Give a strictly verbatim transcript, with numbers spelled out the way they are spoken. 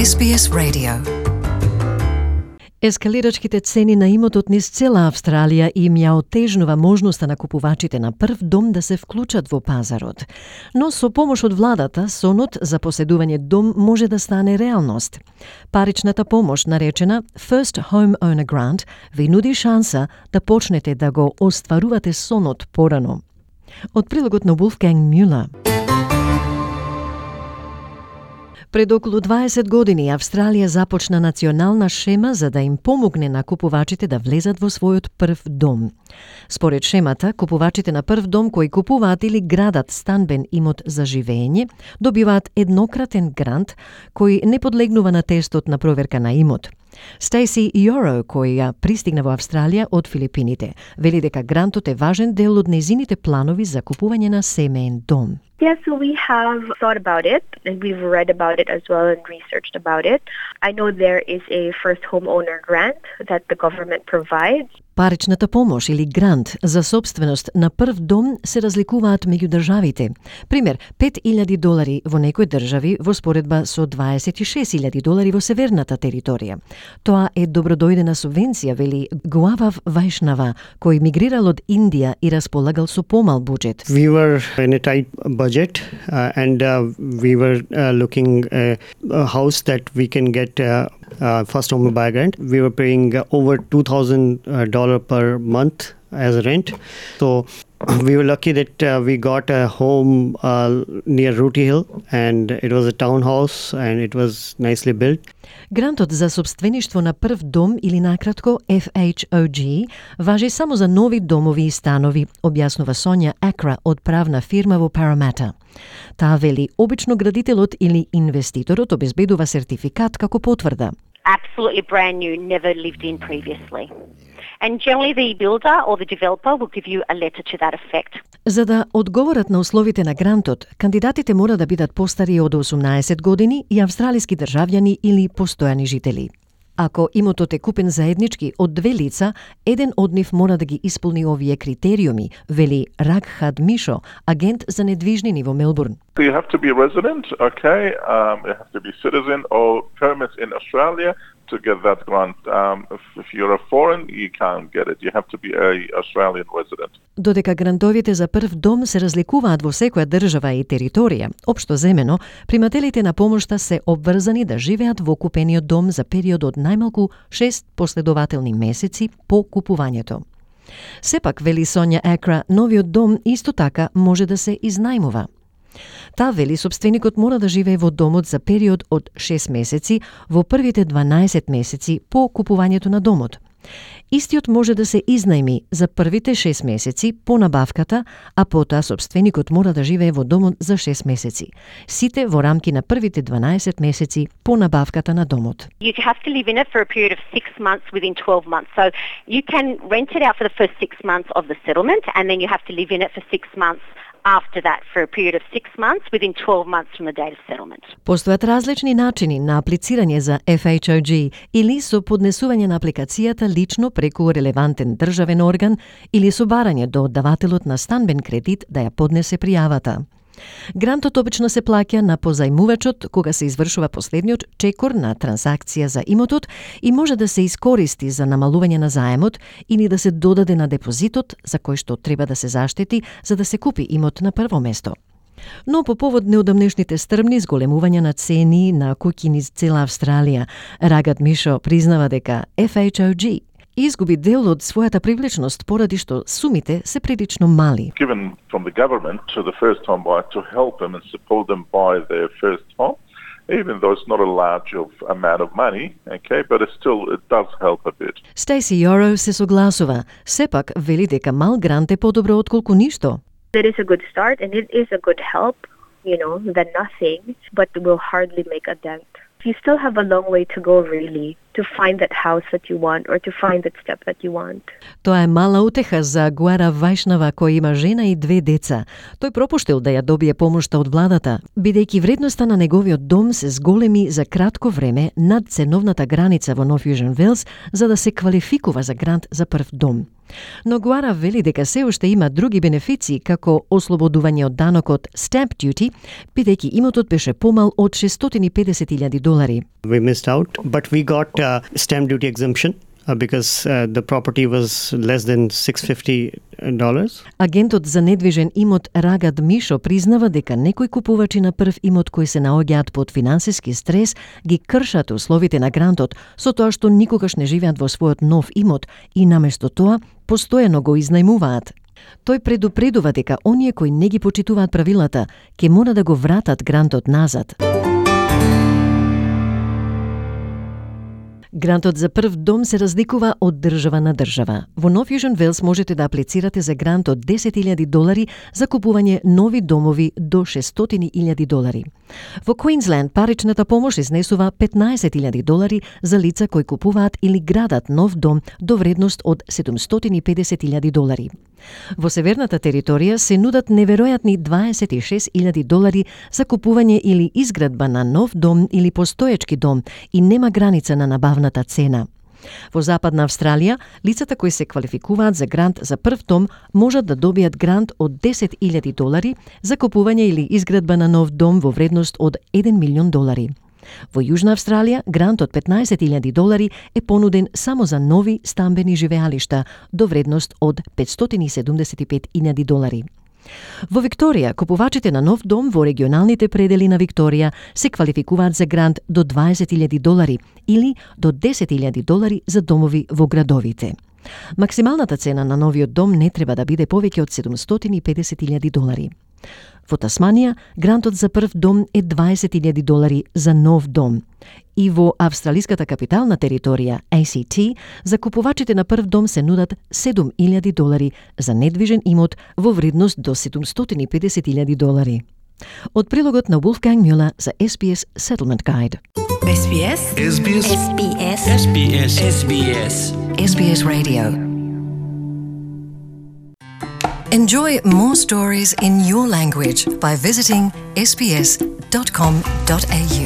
Ес Би Ес Radio. Ескалирачките цени на имотот низ цела Австралија им ја отежнува можноста на купувачите на прв дом да се вклучат во пазарот. Но со помош од владата, сонот за поседување дом може да стане реалност. Паричната помош, наречена First Home Owner Grant, ви нуди шанса да почнете да го остварувате сонот порано. Од прилогот на Wolfgang Müller. Пред околу дваесет години Австралија започна национална шема за да им помогне на купувачите да влезат во својот прв дом. Според шемата, купувачите на прв дом кои купуваат или градат станбен имот за живење, добиваат еднократен грант кој не подлегнува на тестот на проверка на имот. Стейси Йоро, која пристигна во Австралија од Филипините, вели дека грантот е важен дел од нејзините планови за купување на семеен дом. Yeah, so we have thought about it, and we've read about it as well and researched about it. I know there is a first homeowner grant that the government provides. Паричната помош или грант за собственост на прв дом се разликуваат меѓу државите. Пример, пет илјади долари во некои држави во споредба со дваесет и шест илјади долари во северната територија. Тоа е добродојдена субвенција, вели Гуавав Вајшнава, кој мигрирал од Индија и располагал со помал буџет. We were in a tight budget uh, and uh, we were uh, looking uh, a house that we can get uh, uh, first home buyer grant. We were paying uh, over two thousand dollars per month as rent. So we were lucky that uh, we got a home uh, near Rooty Hill, and it was a townhouse and it was nicely built. Грантот за собствеништво на прв дом или накратко Еф Ејч О Джи важи само за нови домови и станови, објаснува Сонја Акра од правна фирма во Парамата. Таа вели обично градителот или инвеститорот обезбедува сертификат како потврда. Absolutely brand new, never lived in previously. And generally the builder or the developer will give you a letter to that effect. За да одговорат на условите на грантот, кандидатите мора да бидат постари од осумнаесет години и австралиски државјани или постојани жители. Ако имотот е купен заеднички од две лица, еден од нив мора да ги исполни овие критериуми, вели Рагхад Мишо, агент за недвижнини во Мелбурн. You have to be a resident, okay, um, you have to be citizen or permit in Australia to get that grant. Um, if, if you're a foreign, you can't get it. You have to be a Australian resident. Додека грантовите за прв дом се разликуваат во секоја држава и територија, општо земено, примателите на помошта се обврзани да живеат во купениот дом за период од најмалку шест последователни месеци по купувањето. Сепак, вели Сонја Акра, новиот дом исто така може да се изнајмува. Таа вели собственикот мора да живее во домот за период од шест месеци во првите дванаесет месеци по купувањето на домот. Истиот може да се изнајми за првите шест месеци по набавката, а потоа собственикот мора да живее во домот за шест месеци. Сите во рамки на првите дванаесет месеци по набавката на домот. You have to live in it for a period of six months within twelve months. So you can rent it out for the first six months of the settlement, and then you have to live in it for six months after that for a period of six months within twelve months from the date of settlement. Постојат различни начини на аплицирање за Еф Ејч О Джи или со поднесување на апликацијата лично преку релевантен државен орган или со барање до оддавателот на станбен кредит да ја поднесе пријавата. Грантот обично се плаќа на позајмувачот кога се извршува последниот чекор на трансакција за имотот и може да се искористи за намалување на заемот или да се додаде на депозитот за кој што треба да се заштити за да се купи имот на прво место. Но по повод неодамнешните стрмни зголемувања на цени на куќи низ цела Австралија, Рагат Мишо признава дека Еф Ејч О Джи изгуби дел од својата привлечност поради што сумите се прилично мали. Given from the government to the first home buyer to help them and support them buy their first home, even though it's not a large of amount of money, okay, but it still it does help a bit. Стейси Йоро се согласува, сепак вели дека мал грант е подобро отколку ништо. It is a good start and it is a good help, you know, than nothing, but will hardly make a dent. You still have a long way to go really to find that house that you want or to find that step that you want. Тоа е мала утеха за Гуара Вајшнава кој има жена и две деца. Тој пропуштил да ја добие помошта од владата, бидејќи вредноста на неговиот дом се зголеми за кратко време над ценовната граница во Нов Јужен Велс за да се квалификува за грант за прв дом. Но Гуара вели дека се уште има други бенефиции, како ослободување од данокот stamp duty, бидејќи имотот беше помал од шестстотини и педесет илјади долари. We missed out, but we got uh, stamp duty exemption uh, because uh, the property was less than six hundred fifty dollars. Агентот за недвижен имот Рагад Мишо признава дека некои купувачи на прв имот кои се наоѓаат под финансиски стрес ги кршат условите на грантот со тоа што никогаш не живеат во својот нов имот и наместо тоа постојано го изнајмуваат. Тој предупредува дека оние кои не ги почитуваат правилата ќе мора да го вратат грантот назад. Грантот за прв дом се разликува од држава на држава. Во Нов Јужен Велс можете да аплицирате за грант од десет илјади долари за купување нови домови до шестстотини илјади долари. Во Квинсленд паричната помош изнесува петнаесет илјади долари за лица кои купуваат или градат нов дом до вредност од седумстотини и педесет илјади долари. Во северната територија се нудат неверојатни дваесет и шест илјади долари за купување или изградба на нов дом или постоечки дом и нема граница на набавната цена. Во Западна Австралија, лицата кои се квалификуваат за грант за прв дом можат да добијат грант од десет илјади долари за купување или изградба на нов дом во вредност од еден милион долари. Во Јужна Австралија, грант од петнаесет илјади долари е понуден само за нови стамбени живеалишта до вредност од петстотини и седумдесет и пет илјади долари. Во Викторија, купувачите на нов дом во регионалните предели на Викторија се квалификуваат за грант до дваесет илјади долари или до десет илјади долари за домови во градовите. Максималната цена на новиот дом не треба да биде повеќе од седумстотини и педесет илјади долари. Во Тасманија, грантот за прв дом е дваесет илјади долари за нов дом. И во австралиската капитална територија, А Си Ти, за купувачите на прв дом се нудат седум илјади долари за недвижен имот во вредност до седумстотини и педесет илјади долари. Од прилогот на Wolfgang Müller за Ес Би Ес Settlement Guide. Ес Би Ес Ес Би Ес Ес Би Ес Ес Би Ес Ес Би Ес Ес Би Ес Radio. Enjoy more stories in your language by visiting s b s dot com dot a u.